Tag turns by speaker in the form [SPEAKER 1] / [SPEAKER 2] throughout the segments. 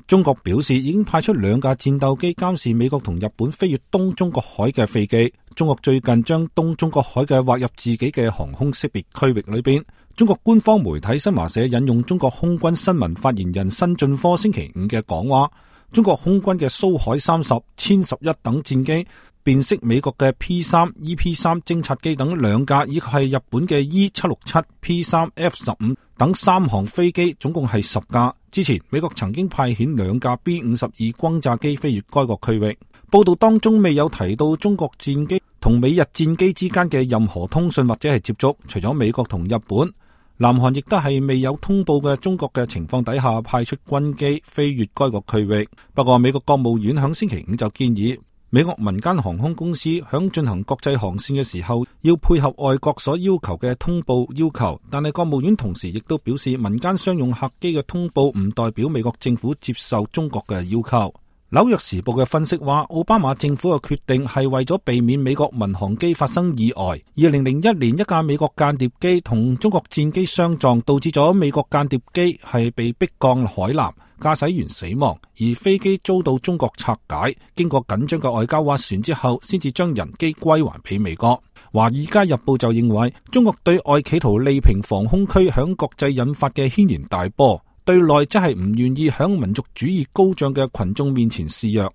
[SPEAKER 1] 中國表示已經派出2架戰鬥機監視美國同日本飛越東中國海嘅飛機。中國最近將東中國海嘅劃入自己嘅航空識別區域裏邊。中國官方媒體新華社引用中國空軍新聞發言人辛進科星期5嘅講話，中國空軍嘅蘇海30、殲11等戰機辨識美國嘅 P3、EP3 偵察機等2架，以及係日本嘅 E767、P3F15 等3項飛機，總共係10架。之前美國曾經派遣2架 B52 轟炸機飛越該個區域。報道當中未有提到中國戰機同美日戰機之間嘅任何通訊或者係接觸，除咗美國同日本，南韓亦都係未有通報嘅中國嘅情況底下派出軍機飛越該個區域。不過美國國務院響星期5就建議美國民間航空公司響進行國際航線嘅時候要配合外國所要求嘅通報要求，但係國務院同時亦都表示民間商用客機嘅通報唔代表美國政府接受中國嘅要求。紐約時報嘅分析話，奧巴馬政府嘅決定係為咗避免美國民航機發生意外。2001年一架美國間諜機同中國戰機相撞，導致咗美國間諜機係被迫降海南，駕駛員死亡，而飛機遭到中國拆解，經過緊張嘅外交斡旋之後，先至將人機歸還俾美國。華爾街日報就認為，中國對外企圖利平防空區響國際引發嘅軒然大波，對內則係唔願意響民族主義高漲嘅群眾面前示弱。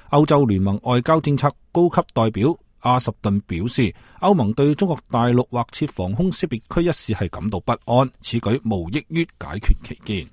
[SPEAKER 1] 歐洲聯盟外交政策高級代表阿什頓表示，歐盟對中國大陸劃設防空識別區一事係感到不安，此舉無益於解決歧見。